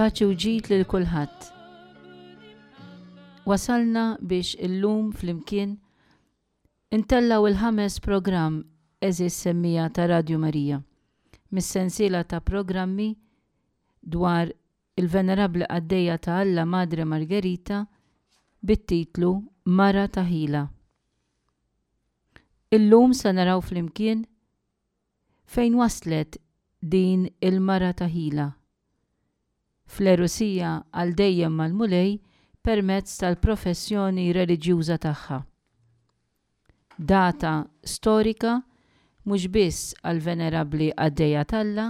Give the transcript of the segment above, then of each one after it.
Paċi u ġid lil kulħadd. Wasalna biex illum flimkien intellgħu il-ħames programm għeżież semmiegħa ta' Radju Marija mis-sensiela ta' programmi dwar il-Venerabbli Qaddejja ta' Alla Madre Margherita bit-titlu Mara ta' Ħila. Illum se naraw flimkien fejn waslet din il-mara ta' ħila fl-għerusija għal dejjem mal-Mulej permezz tal-professjoni reliġjuża tagħha. Data storika mhux biss għall-Venerabbli Qaddejja t'Alla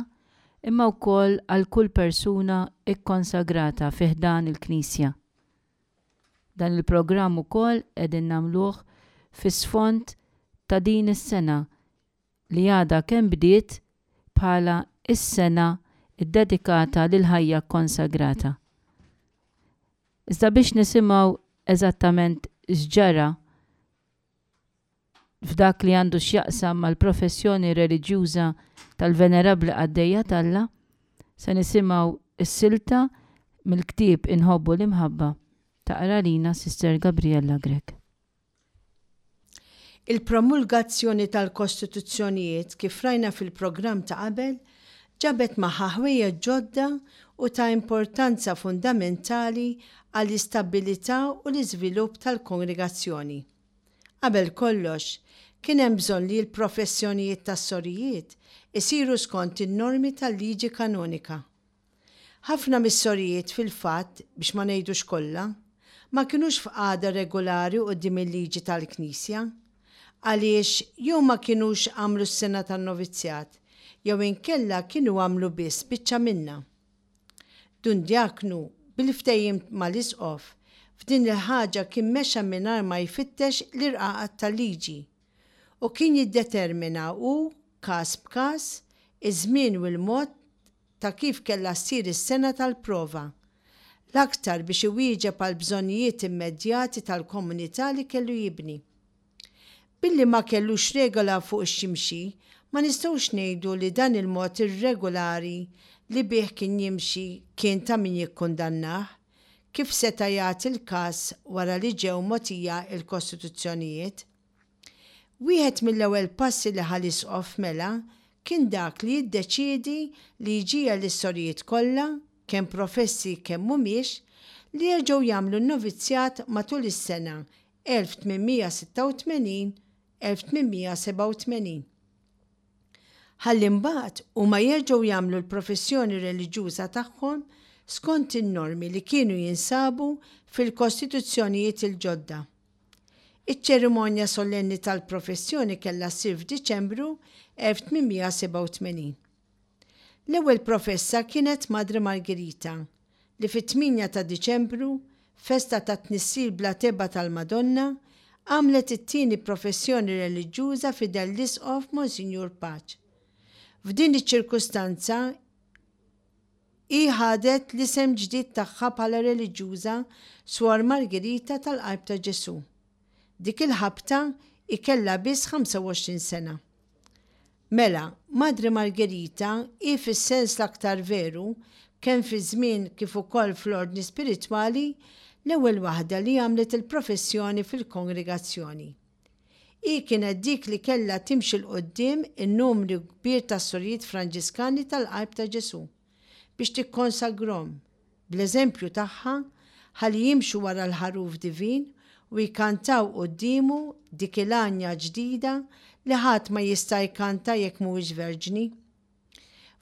imma wkoll għal kull persuna kkonsagrata fi ħdan il-Knisja. Dan il-programm ukoll qegħdin nagħmluh fi sfond ta' din is-sena li għadha kemm bdiet bħala s-sena ddedikata lill-ħajja kkonsagrata. Iżda biex nisimgħu eżattament x'ġara f'dak li għandu x'jaqsam mal-professjoni reliġjuża tal-Venerabbli Qaddejja t'Alla, se nisimgħu s-silta mill-ktieb Inħobbu l-Imħabba taqra lina Sister Gabriella Grech. Il-promulgazzjoni tal-Kostituzzjonijiet, kif rajna fil-programm ta' qabel, ġabet magħha ħwejjeġ ġodda u ta' importanza fundamentali għall-istabbilità u l-iżvilupp tal-Kongregazzjoni. Qabel kollox, kien hemm bżonn li l-professjonijiet tas-sorijiet isiru skont in-normi tal-liġi kanonika. Ħafna mis-sorijiet fil-fatt, biex ma ngħidux kollha, ma kinux f'qagħda regulari quddiem il-liġi tal-Knisja, għaliex jew ma kinux għamlu s-sena tan-novizzjat, jew inkella kienu għamlu biss biċċa minnha. Dun Djaknu, bil-ftehim mal-Isqof, f'din il-ħaġa kien mexa mingħajr ma jfittex l-irqaqat tal-liġi, u kien jiddetermina hu, każ b'każ, iż-żmien u l-mod ta' kif kellha ssir is-sena tal-prova, l-aktar biex iwieġeb għall-bżonnijiet immedjati tal-komunità li kellu jibni. Billi ma kellux regola fuq x'jimxi, ma nistgħux ngħidu li dan il-mod irregolari li bih kien jimxi kien ta' min jikkundannah, kif seta' jagħti l-każ wara li ġew mogħtija l-kostituzzjonijiet. Wieħed mill-ewwel passi li ħa l-Isqof mela kien dak li jiddeċiedi li jġiegħel lis-sorijiet kollha, kemm professi kemm mhumiex, li jerġgħu jagħmlu n-novizzjat matul is-sena 1886, 1887. Ħalli mbagħad huma jerġgħu jagħmlu l-professjoni reliġjuża tagħhom skont in-normi li kienu jinsabu fil-kostituzzjonijiet il-ġodda. Iċ-ċerimonja solenni tal-professjoni kellha ssir f'Diċembru 1887. L-ewwel professa kienet Madre Margherita, li fit-8 ta' Diċembru, festa tat-Tnissil bla tebgħa tal-Madonna, għamlet it-tieni professjoni reliġjuża f'idel l-Isqof Monsinjur Pace. F'din iċ-ċirkustanza, Hi ħadet l-isem ġdid tagħha bħala reliġjuża Suor Margherita tal-Qalb ta' Ġesù. Dik il-ħabta hi kellha biss 25 sena. Mela, Madre Margherita hi fis-sens l-aktar veru, kemm fiż-żmien kif ukoll fl-ordni spiritwali, l-ewwel waħda li għamlet il-professjoni fil-Kongregazzjoni. Hi kienet dik li kellha timxi 'l quddiem in-numru kbir ta' sorijiet Franġiskani tal-Qalb ta' Ġesù biex tikkonsagrhom, bl-eżempju tagħha, ħalli jimxu wara l-Ħaruf Divin u jkantaw quddiemu dik il-għanja ġdida li ħadd ma jista' jkanta jekk mhuwiex verġni.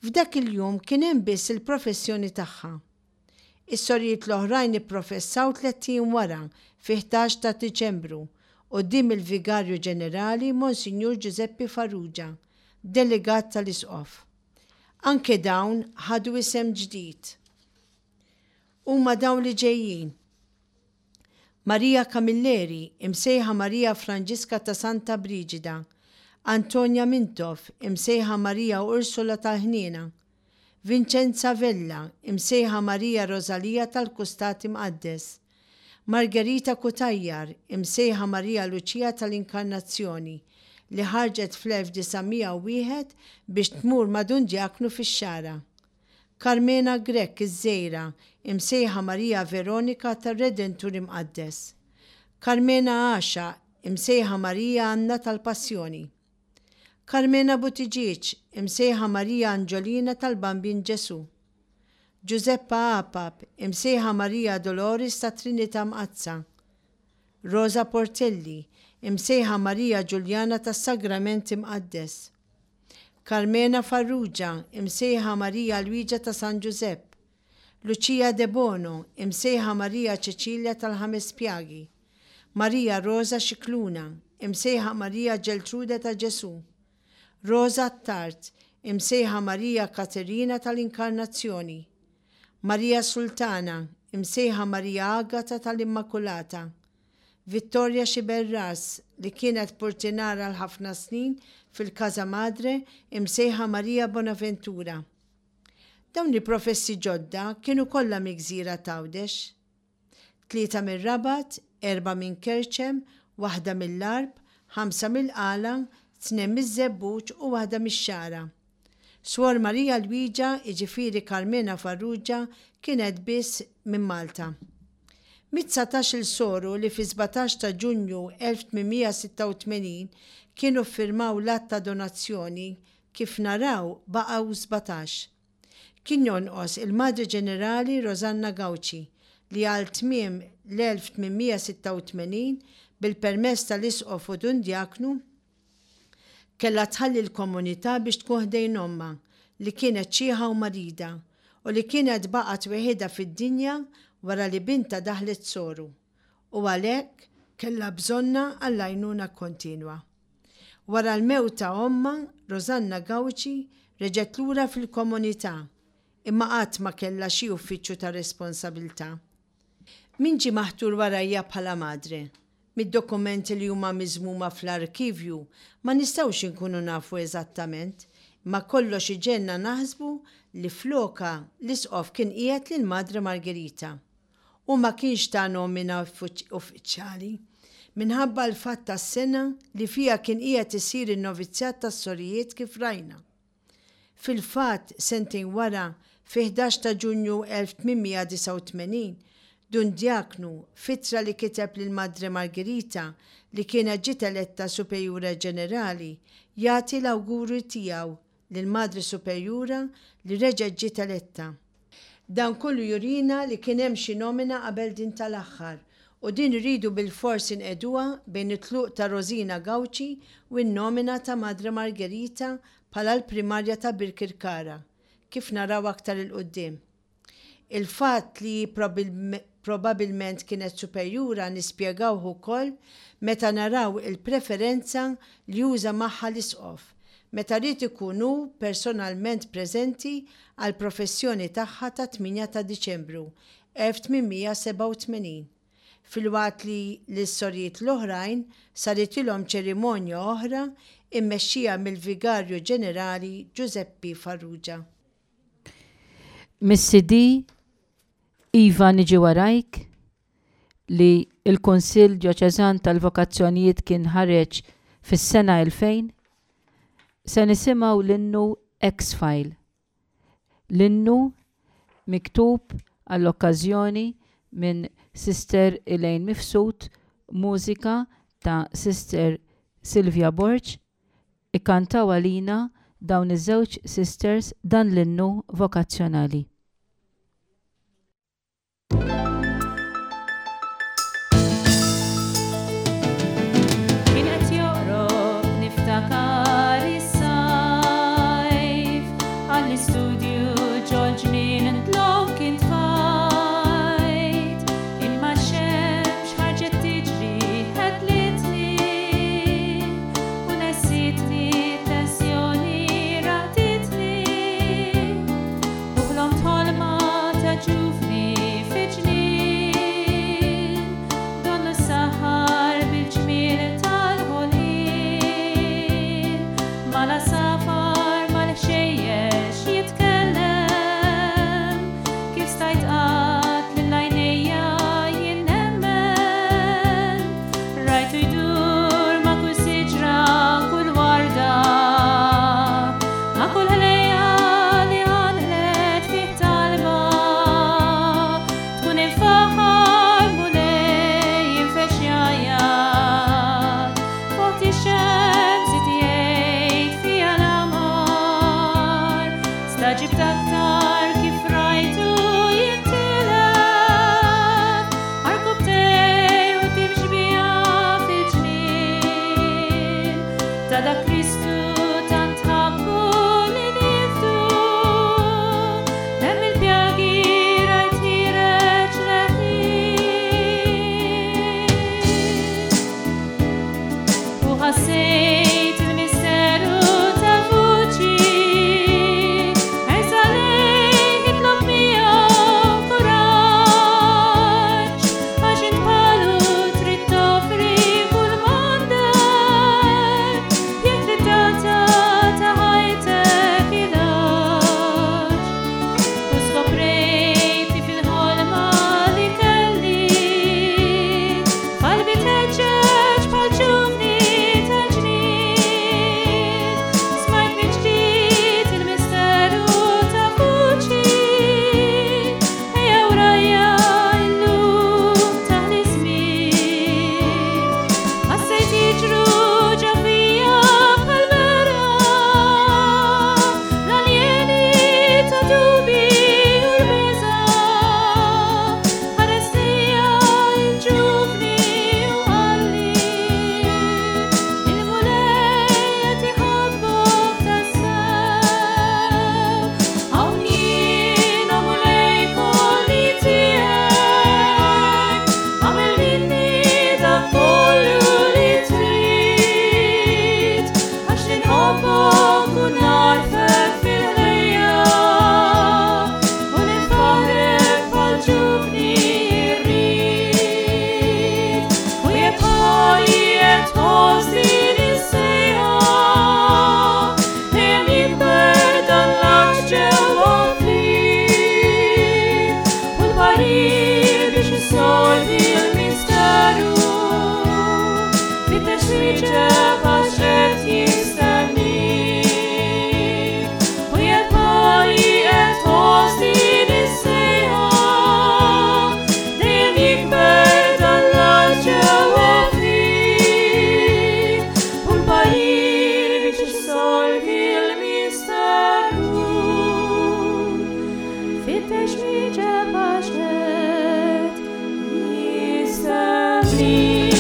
F'dak il-jum kien hemm biss il-professjoni tagħha. Is-sorijiet l-oħrajn ipprofessaw tlett ijiem wara, fi 11 ta' Diċembru, quddiem il-Vigarju Ġenerali Monsinjur Ġużeppi Farrugia, delegat tal-Isqof. Anke dawn ħadu isem ġdid. Huma dawn li ġejjin. Maria Camilleri, imsejħa Maria Franġiska ta' Santa Briġida, Antonia Mintoff, imsejħa Maria Ursula tal-Ħniena, Vincenza Vella, imsejħa Maria Rosalia tal-Kustat Imqaddes, Margherita Cutajar, imsejħa Maria Lucia tal-Inkarnazzjoni, li ħarġet fl-1901 biex tmur ma' Dun Djaknu fix-Xagħra. Karmena Grech iż-Żgħira, imsejħa Marija Veronika tar-Redentur Imqaddes. Karmena Għaxaq, imsejħa Marija Anna tal-Passjoni. Karmena Buttigieg, imsejħa Marija Anġolina tal-Bambin Ġesù. Ġużeppa Apap, imsejħa Marija Dolores tat-Trinità Mqaddsa. Rosa Portelli, imsejħa Marija Ġuljana tas-Sagrament Imqaddes. Karmena Farrugia, imsejħa Marija Lwiġa ta' San Ġużepp. Lucia Debono, imsejħa Marija Ċeċilja tal-Ħames Pjagi. Marija Rosa Scicluna, imsejħa Marija Ġeltrude ta' Ġesù. Rosa Attard, imsejħa Marija Katerina tal-Inkarnazzjoni. Marija Sultana, imsejħa Marija Agata tal-Immakulata. Vittoria Sciberras, li kienet purtinar għal ħafna snin fil-Casa Madre, imsejħa Maria Bonaventura. Dawn il-professi ġodda kienu kollha mill-gżira t'Għawdex. Tlieta mir-Rabat, erbgħa minn Kerċem, waħda mill-Għarb, ħamsa mill-Qala, tnejn miż-Żebbuġ u waħda mix-Xagħra. Swor Maria Lwiġa, jiġifieri Karmena Farrugia, kienet biss minn Malta. Mit-dsatax-il soru li fis-17 ta' Ġunju 1886 kienu ffirmaw l-att ta' donazzjoni, kif naraw baqgħu 17. Kien jonqos il-Madre Ġenerali Rosanna Gauci li għal tmiem l-1886, bil-permess tal-Isqof u Dun Djaknu, Kellha tħalli l-komunità biex tkun ħdejn ommha, li kienet xiħa u marida, u li kienet baqgħet weħidha fid-dinja wara li bintha daħlet soru, u għalhekk kellha bżonnha għall-għajnuna kontinwa. Wara l-mewt ta' ommha, Rosanna Gauci reġgħet lura fil-komunità, imma qatt ma kellha xi uffiċċju ta' responsabilità. Min ġie maħtur warajja bħala madre? Mid-dokumenti li huma miżmuma fl-arkivju ma nistgħux inkunu nafu eżattament, imma kollox iġegħelna naħsbu li flokha l-Isqof kien qiegħed lil Madre Margherita. Hu ma kienx ta nomina uffiċjali, minħabba l-fatt tas-sena li fiha kien qiegħed isir in-novizzjat tas-sorijiet kif rajna. Fil-fatt, sentejn wara, fi-ħdax ta' Ġunju 1889, Dun Djaknu, f'ittra li kiteb lil Madre Margherita, li kienet ġiet eletta Superjura Ġenerali, jagħti l-awguri tiegħu lill-Madre Superjura li reġgħet ġiet eletta. Dan kollu jurina li kien hemm xi nomina qabel din tal-aħħar, u din irridu bilfors inqegħduha bejn it-tluq ta' Rosina Gauci u n-nomina ta' Madre Margherita bħala l-Primarja ta' Birkirkara, kif naraw aktar 'il quddiem. Il-fatt li hi probabilment kienet superjura nispjegawh ukoll meta naraw il-preferenza li uża magħha l-Isqof, meta ried ikun hu personalment preżenti għall-professjoni tagħha tat-8 ta' Diċembru 1887, filwaqt li lis-sorijiet l-oħrajn saritilhom ċerimonja oħra mmexxija mill-Vigarju Ġenerali Ġużeppi Farrugia. Mis-CD Iva Niġi Warajk li l-Kunsill Djoċeżan tal-Vokazzjonijiet kien ħareġ fis-sena 2000, se nisimgħu l-innu X-File. L-innu miktub għall-okkażjoni minn Sister Elaine Mifsud, mużika ta' Sister Sylvia Borg, Ikkantaw għalina dawn iż-żewġ sisters dan l-innu vokazzjonali. Kien qed joqrob niftakar is-sajf għall-istudju ġol-ġnien dlonk intfajt imma x-xemx ħarġet tiġri ħedlitni u nessitni t-tensjoni raqditni u ħlomt ħolma ta' ġuvni fi ġnien. Alla da Kristu tant ħabbu li nifdu. Hemm il-pjagi rajt ħireġ leħi. U ħassejt il-misteru ta' vuċi, Ersa lejh itlob miegħu kuraġġ, għax int bħalu trid toffri kull m'għandek, jekk trid tagħta ta' ħajtek ilaġ. U skoprejt li fil-ħolma li kelli, qalbi tħeġġeġ bħal ġuvni tal-ġnien. Smajt mill-ġdid il-misteru ta' vuċi, ejja wrajja illum taħli żmien. Ħassejt jiġru ġo fija bħal mera, l-aljeni ta' dubi u l-biża'. Ħares lejja l-ġuvni u qalli, il-Mulej qed iħobbok tassew. Hawn jiena Mulej kolli tiegħek, agħmel minni dak kollu li trid, għax inħobbok u nagħrfek fil-ħlejja, u ninfaħrek bħal ġuvni rrid. U jekk ħali qed tħoss din is-sejħa, dejjem jikber dan l-għatx ġewwa fik, u l-parir biex issolvi l-misteru, fittex wieġeb għax qed jistennik. U jekk ħali qed tħoss din is-sejħa, dejjem jikber dan l-għatx ġewwa fik, u l-parir biex issolvi l-misteru, fittex wieġeb għax qed jistennik.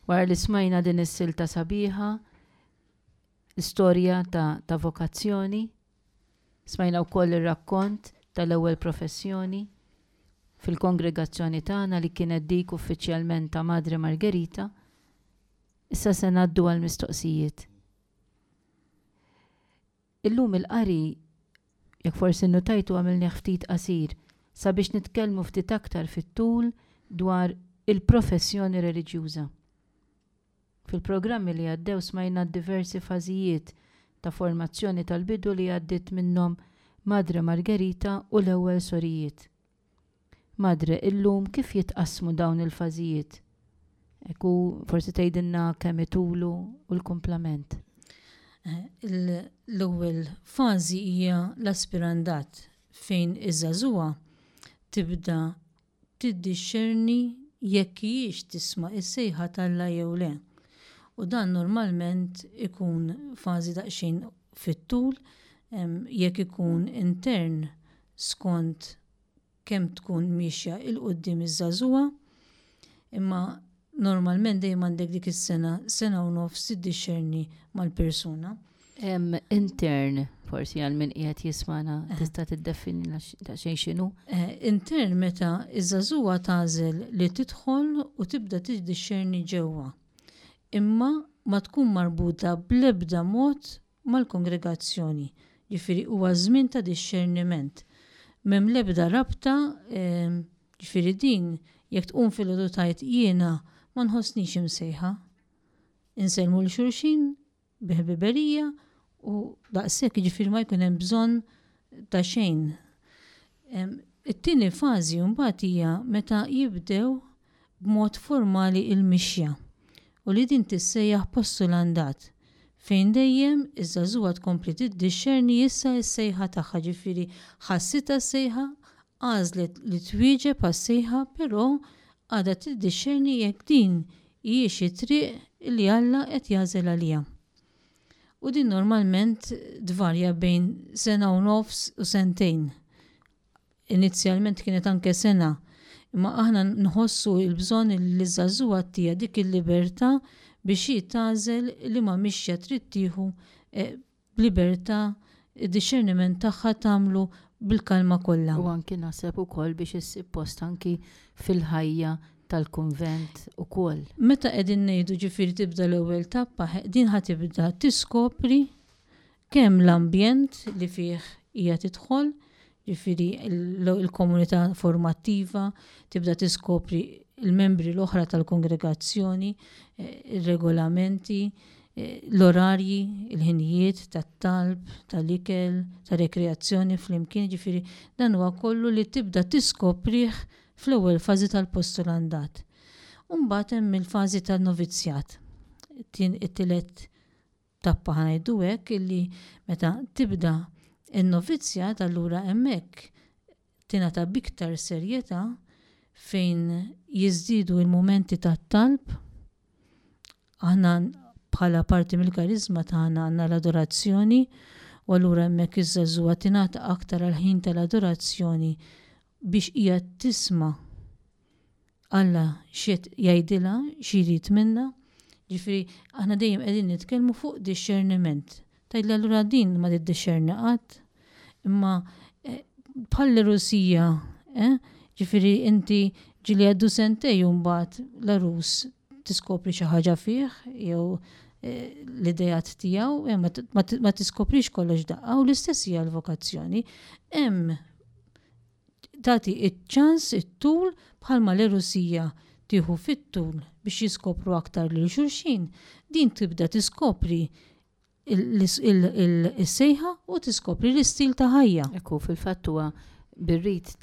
Wara li smajna din is-silta sabiħa, l-istorja ta', ta vokazzjoni, smajna wkoll ir-rakkont tal-ewwel professjoni fil-kongregazzjoni tagħna li kienet dik uffiċjalment ta' Madre Margherita, issa se ngħaddu għall-mistoqsijiet. Illum il-qari, jekk forsi nnotajtu għamilnieh ftit qasir, sabiex nitkellmu ftit aktar fit-tul dwar il-professjoni reliġjuża. Fil-programmi li għaddew smajna d-diversi fażijiet ta' formazzjoni tal-bidu li għaddiet minnhom Madre Margherita u l-ewwel sorijiet. Madre, illum kif jitqassmu dawn il-fażijiet? Hekk hu forsi tgħidilna kemm itulu u l-kumplament. L-ewwel fażi hija l-aspirandat fejn iż-żagħżugħa tibda tiddixxerni jekk hijiex tisma' s-sejħa t'Alla jew le. U dan normalment ikun fażi daqsxejn fit-tul, jekk ikun intern skont kemm tkun miexja 'il quddiem iż-żagħżugħa, imma normalment dejjem għandek dik is-sena, sena u nofs tiddixxerni mal-persuna. Intern, forsi għal min qiegħed jismana, tista' tiddefinina daqsxejn x'inhu? Intern meta ż-żagħżugħa tagħżel li tidħol u tibda tiddixxerni ġewwa, imma ma tkun marbuta bl-ebda mod mal-kongregazzjoni, ġifieri huwa żmien ta' dixxerniment. M'hemm l-ebda rabta, ġifieri din jekk tqum filgħodu tgħid jiena ma nħossnix imsejħa. Insellmu 'l xulxin bi ħbiberija u daqshekk, jiġifieri ma jkun hemm bżonn ta' xejn. It-tieni fażi mbagħad hija meta jibdew b'mod formali l-mixja u li din tissejjaħ postulandat fejn dejjem iż-żagħżugħa tkompli tiddixxerni issa s-sejħa tagħha, ġifieri ħassitha s-sejħa, għażlet li twieġeb għas-sejħa però għadha tiddixxerni jekk din hijiex it-triq li Alla qed jagħżel għaliha. U din normalment tvarja bejn sena u nofs u sentejn. Inizjalment kienet anke sena, imma aħna nħossu l-bżonn li ż-żagħżugħa ttiha dik il-libertà biex hi tagħżel liema mixja trid tieħu b'libertà, id-dixxerniment tagħha tagħmlu bil-kalma kollha. U anki naħseb ukoll biex issib post anki fil-ħajja tal-kunvent ukoll. Meta qegħdin ngħidu ġifieri tibda l-ewwel tappa, din ħa tibda tiskopri kemm l-ambjent li fih hija tidħol, ġifieri l-komunità formattiva, tibda tiskopri l-membri l-oħra tal-kongregazzjoni, eh, ir-regolamenti, eh, l-orarji, il-ħinijiet tat-talb, tal-ikel, ta' rekreazzjoni flimkien, ġifieri dan huwa kollu li tibda tiskoprih fl-ewwel fażi tal-postulandat. U mbagħad hemm il-fażi tan-novizzjat, it-tielet tappa ħa ngħidu hekk illi meta tibda n-novizzjat allura hemmhekk tingħata b'iktar serjetà fejn jiżdiedu l-mumenti tat-talb. Aħna bħala parti mill-kariżma tagħna għandna l-adorazzjoni u allura hemmhekk iż-żagħżugħa tingħata aktar għall-ħin tal-adorazzjoni biex hija tisma' Alla x'qed jgħidilha, xi jrid minnha. Ġifieri aħna dejjem qegħdin nitkellmu fuq dixxerniment. Tgħidli allura din ma tiddixxerni qatt? Imma eh, bħall-Rusija, eh, ġifieri inti ġieli għaddu sentej u mbagħad l-għarus tiskopri xi ħaġa fih jew eh, l-idejat tiegħu, eh, ma tiskoprix kollox daqqa u l-istess hija l-vokazzjoni. Hemm tagħti ċ-ċans it-tul bħalma l-għerusija tieħu fit-tul biex jiskopru aktar lil xulxin, din tibda tiskopri is-sejħa u tiskopri l-istil ta' ħajja. Ekku, fil-fatt huwa bir-rit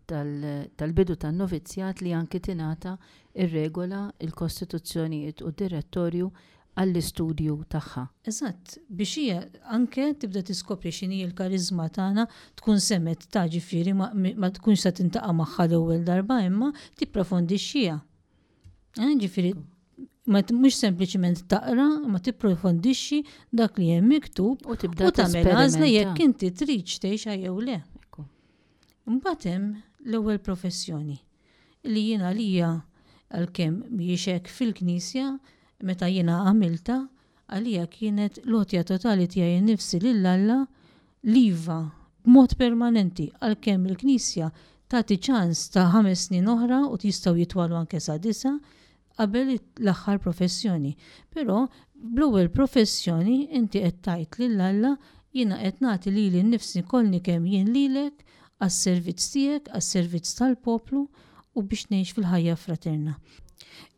tal-bidu tan-novizzjat li anki tingħata r-regola, il-kostituzzjonijiet u d-direttorju għall-istudju tagħha. Eżatt, biex hija anke tibda tiskopri x'inhi l-kariżma tagħna, tkun semgħet ta' ġifieri ma, ma tkunx sa tintaqa' magħha l-ewwel darba imma tipprofondixxiha. Eh, ġifieri ma mhux sempliċiment taqra, ma tipprofondixxi dak li hemm miktub u tibda tagħmel għażla jekk inti tridx tgħixha jew le. Imbagħad hemm l-ewwel professjoni li jien għalija għalkemm mhijiex hekk fil-Knisja, meta jiena għamiltha, għalija kienet l-għotja totali tiegħi nnifsi lil Alla, l-iva, b'mod permanenti, għalkemm il-Knisja tagħti ċans ta' ħames snin oħra u jistgħu jitwalu anke sa disgħa, qabel l-aħħar professjoni. Però bl-ewwel professjoni inti qed tgħid lil Alla jiena qed nagħti lili nnifsi kollni kemm jien lilek għas-servizz tiegħek, għas-servizz tal-poplu u biex ngħix fil-ħajja fraterna.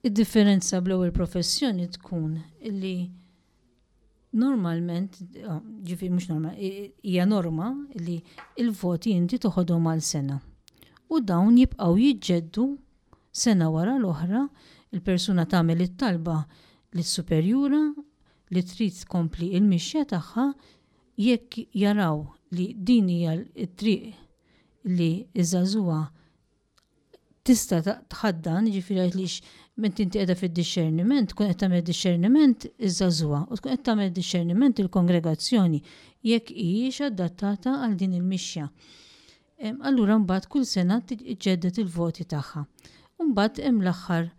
Id-differenza bl-ewwel professjoni tkun li normalment, ġifieri mhux normal, hija norma li l-voti inti toħodhom għal sena. U dawn jibqgħu jiġġeddu sena wara l-oħra, il-persuna tagħmel it-talba lis-superjura li trid tkompli l-mixja tagħha jekk jaraw li din hija t-triq li ż-żagħżugħa tista' tħaddan, jiġifieri għaliex meta inti qiegħda fid-dixxerniment, tkun qed tagħmel dixxerniment iż-żagħżugħa u tkun qed tagħmel dixxerniment il-kongregazzjoni jekk hijiex adattata għal din il-mixja. Allura mbagħad kull sena tiġġedded il-voti tagħha. U mbagħad hemm l-aħħar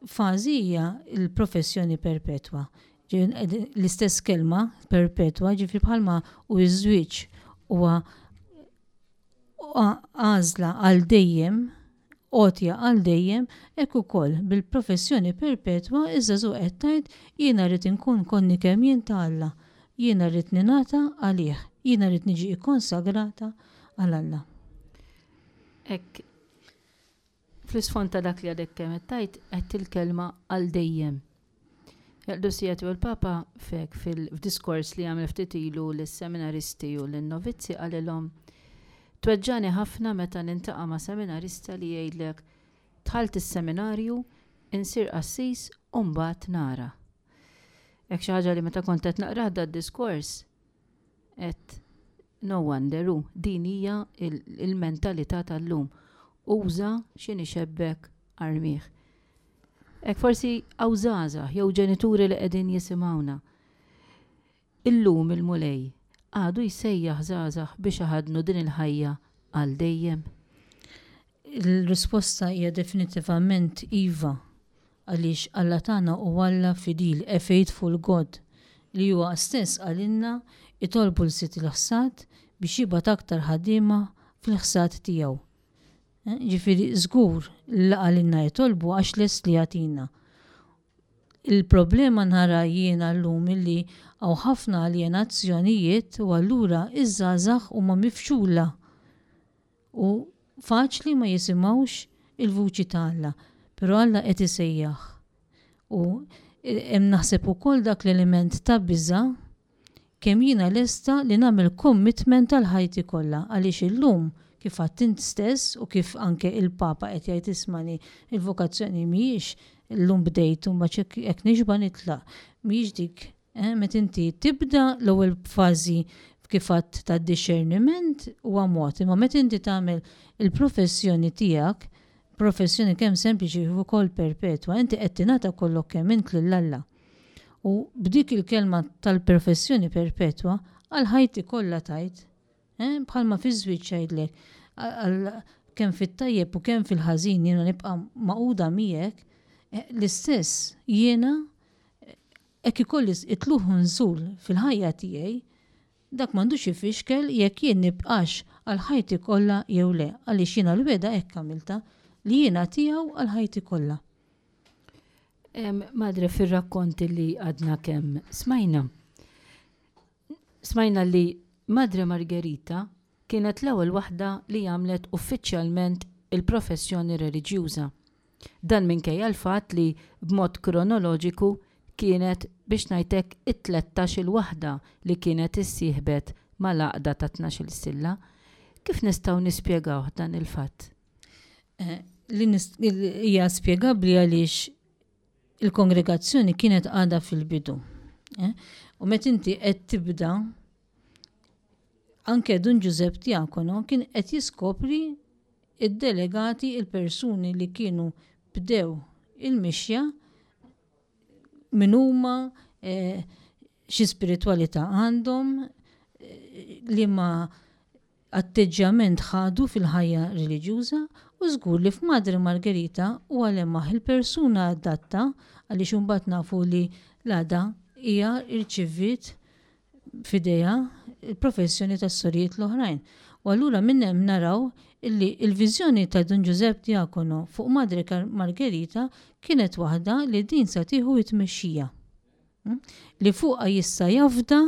fażi hija l-professjoni perpetwa. L-istess kelma perpetwa, ġifieri bħalma u ż-żwieġ huwa għażla għal dejjem, għotja għal dejjem, hekk ukoll bil-professjoni perpetwa iż-żagħżugħ qed tgħid jiena rrid inkun konni kemm jien ta' Alla, jiena rrid ningħata għalih, jiena rrid niġi kkonsagrata għal Alla. Hekk Fl-isfond ta' dak li għadek kemm qed tgħid, għedt il-kelma għal dejjem. Il-Qdusija Tiegħu l-Papa fek fil-diskors li għamel ftit ilu lis-seminaristi u lin-novizzi qalilhom, Tweġġagħni ħafna meta nintaqa' ma' seminarista li jgħidlek, dħalt is-seminarju, insir qassis u mbagħad nara. Hekk xi ħaġa li meta kont qed naqrah dad-diskors, Għedt, No wonder, hu, din hija l-mentalità tal-lum. Uża x'inhi xebbek armih. Hekk forsi hawn żgħażagħ jew ġenituri li qegħdin jisimgħuna. Illum il-Mulej għadu jsejjaħ żgħażagħ biex iħaddnu din il-ħajja għal dejjem? Il-risposta hija definitivament iva, għaliex Alla tagħna hu Alla fidil, a faithful God, li huwa stess qalilna itolbu 'l Sid il-ħsad biex jibgħat aktar ħaddiema fil-ħsad tiegħu. Ġifieri żgur li qalilna itolbu għax lest li jagħtina. Il-problema nara jiena llum illi hawn ħafna aljenazzjonijiet u allura iż-żgħażagħ huma mifxula u faċli ma jisimgħux il-vuċi ta' Alla. Però Alla qed isejjaħ. U hemm naħseb ukoll dak l-element ta' biża' kemm jiena lesta li nagħmel commitment għal ħajti kollha għaliex illum kif għedt int stess u kif anke il-Papa qed jgħid ismani il-vokazzjoni mhijiex illum bdejt u mbagħad jekk nixba' nitlaq. Mhijiex dik eh, meta inti tibda l-ewwel fażi kif għedt tad-dixxerniment huwa mod, imma meta inti tagħmel il-professjoni tiegħek, professjoni kemm sempliċi kif ukoll perpetwa, inti qed tingħata kollok kemm int lil Alla. U b'dik il-kelma tal-perfessjoni perpetwa, għal ħajti kollha tajt, eh, bħalma fiż-żwieġ jgħidlek, kemm fit-tajjeb u kemm fil-ħażin jiena nibqa' magħquda miegħek, eh, l-istess jiena eh, hekk ikolli itlugħ u nżul fil-ħajja tiegħi, dak m'għandux ifixkel jekk jien nibqax għal ħajti kollha jew le, għaliex jiena l-wegħda hekk għamiltha, li jiena tiegħu għal ħajti kollha. Madre, fir-rakkont li għadna kemm smajna, smajna li Madre Margherita kienet l-ewwel waħda li għamlet uffiċjalment il-professjoni reliġjuża. Dan minkejja l-fatt li b'mod kronoloġiku kienet biex ngħid hekk it-tlettax-il waħda li kienet issieħbet mal-għaqda tat-tnax-il stilla. Kif nistgħu nispjegawh dan il-fatt? Eh, li hija spjegabbli għaliex il-kongregazzjoni kienet għadha fil-bidu. Eh? U meta inti qed tibda anke Dun Ġużepp Diakono kien qed jiskopri id-delegati il-persuni li kienu bdew il-mixja min huma, eh, xi spiritwalità għandhom, liema atteġġjament ħadu fil-ħajja reliġjuża u żgur li f'Madre Margherita huwa lemaħ il-persuna adatta għaliex imbagħad nafu li l-għada hija rċiviet f'idejha l-professjoni tas-sorijiet l-oħrajn. U allura minn hemm naraw illi l-viżjoni ta' Dun Ġużepp Diacono fuq Madre Margherita kienet waħda li din sa tieħu t-tmexxija. Li fuqha jista' jafda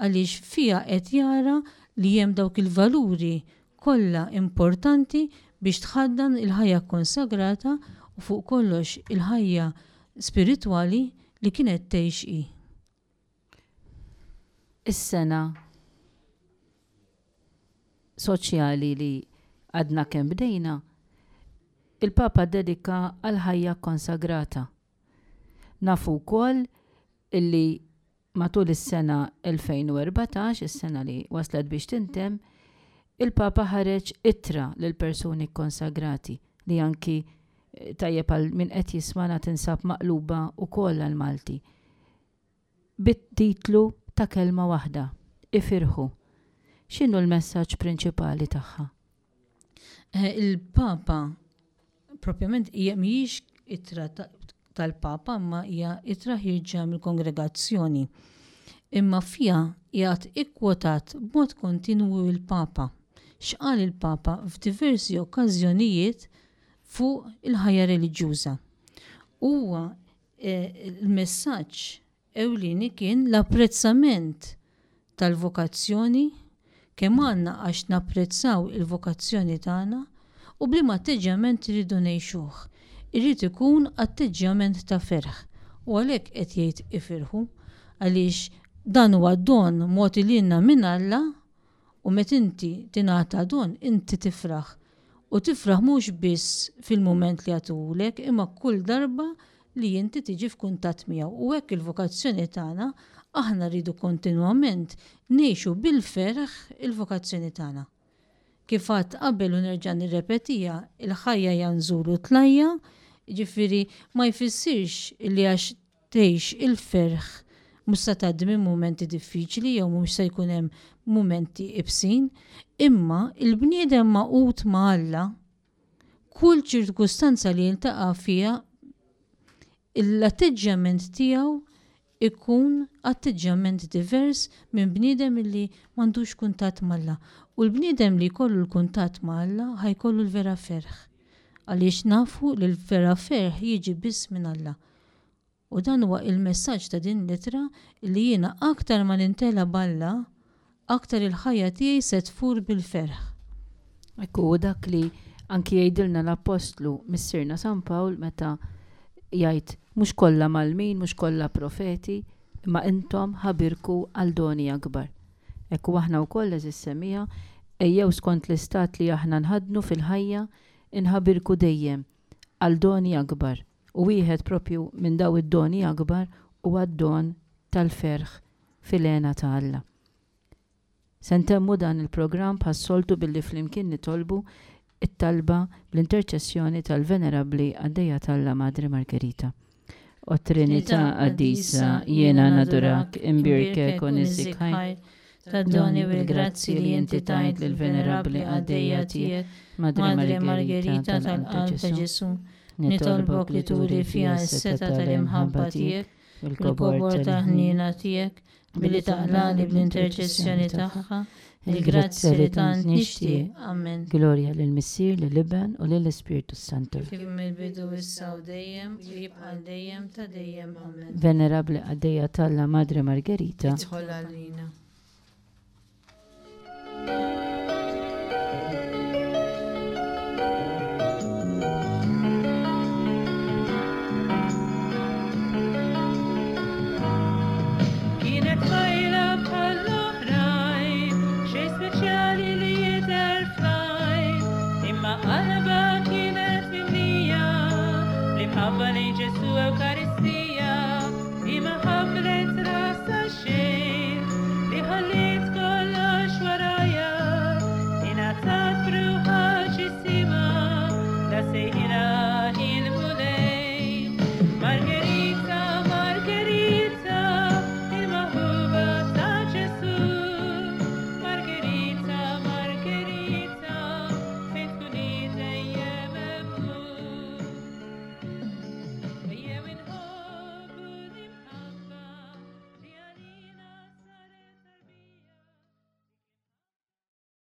għaliex fiha qed jara li hemm dawk il-valuri kollha importanti biex tħaddan il-ħajja kkonsagrata u fuq kollox il-ħajja spiritwali li kienet tgħix hi. Is-sena soċjali li għadna kemm bdejna, il-Papa ddedika għall-ħajja kkonsagrata. Nafu wkoll illi matul is-sena 2014, is-sena li waslet biex tintemm, il-Papa ħareġ ittra lill-persuni kkonsagrati li anki eh, tajjeb għal min qed jismana tinsab maqluba wkoll għall-Malti. Bit-titlu ta' kelma waħda, Ifirħu. X'inhu l-messaġġ prinċipali tagħha? Eh, il-Papa propjament hija mhijiex ittra tal-Papa imma hija ittra ħierġa mill-kongregazzjoni. Imma fiha qiegħed ikkwotat b'mod kontinwu l-Papa. X'qal il-Papa f'diversi okkażjonijiet fuq il-ħajja reliġjuża. Huwa Il-messaġġ ewlieni kien l-apprezzament tal-vokazzjoni, kemm għandna għax napprezzaw il-vokazzjoni tagħna u b'liema atteġġjament irridu ngħixuh. Irid ikun atteġġjament ta' ferħ u għalhekk qed jgħid ifirħu għaliex dan huwa don mogħti lilna minn Alla U meta inti tingħata don, inti tifraħ. U tifraħ mhux biss fil-mument li jagħtuhulek, imma kull darba li inti tiġi f'kuntatt miegħu. U hekk il-vokazzjoni tagħna, aħna rridu kontinwament ngħixu bil-ferħ il-vokazzjoni tagħna. Kif għedt qabel u nerġa' nirrepetiha, il-ħajja hija nżul u tlajja', jiġifieri ma jfissirx li għax tgħix il-ferħ. mhux se tgħaddi minn mumenti diffiċli jew mhux se jkun hemm mumenti ibsin, imma il-bniedem magħqud ma' Alla, kull ċirkustanza li jiltaqa' fiha l-atteġġjament tiegħu ikun atteġġjament divers minn bniedem illi m'għandux kuntatt m'Alla. U l-bniedem li jkollu l-kuntatt ma' Alla ħa jkollu l-vera ferħ. Għaliex nafu li l-vera ferħ jiġi biss minn Alla. U dan huwa il-messaġġ ta' din l-ittra li jiena aktar ma nintela b'Alla, aktar il-ħajja tiegħi se tfur bil-ferħ. Hekk hu dak li anki jgħidilna l-Appostlu Missierna San Pawl meta jgħid mhux kollha mgħallmin, mhux kollha profeti, imma intom ħabirku għal doni akbar. Hekk hu aħna wkoll għeżież semmiegħa, ejjew skont l-istat li aħna nħaddnu fil-ħajja, inħabirku dejjem għal doni akbar. U wieħed propju minn daw id-doni akbar huwa d-don tal-ferħ fil-hena ta' Alla. Se ntemmu dan il-programm bħas-soltu billi flimkien nitolbu t-talba bl-interċessjoni tal-Venerabbli Qaddejja t'Alla Madre Margherita. O Trinità Qaddisa, jiena nadurak, imbierkek u niżżik ħajr tad-doni u l-grazzji li inti tajt lill-Venerabbli Qaddejja tiegħek, Madre Margherita tal-Qalb ta' Ġesù. Nitolbok li turi fiha s-setgħa tal-imħabba tiegħek il-kobor tal-ħniena tiegħek, billi taqlagħli bl-interċessjoni tagħha il-grazzja li tant nixtieq. Amen. Glorja lill-Missier, lill-Iben u lill-Ispirtu s-Santu. Kif mill-bidu issa u dejjem, u jibqa' għal dejjem ta' dejjem. Amen. Venerabbli Qaddejja t'Alla Madre Margherita. Idħol għalina.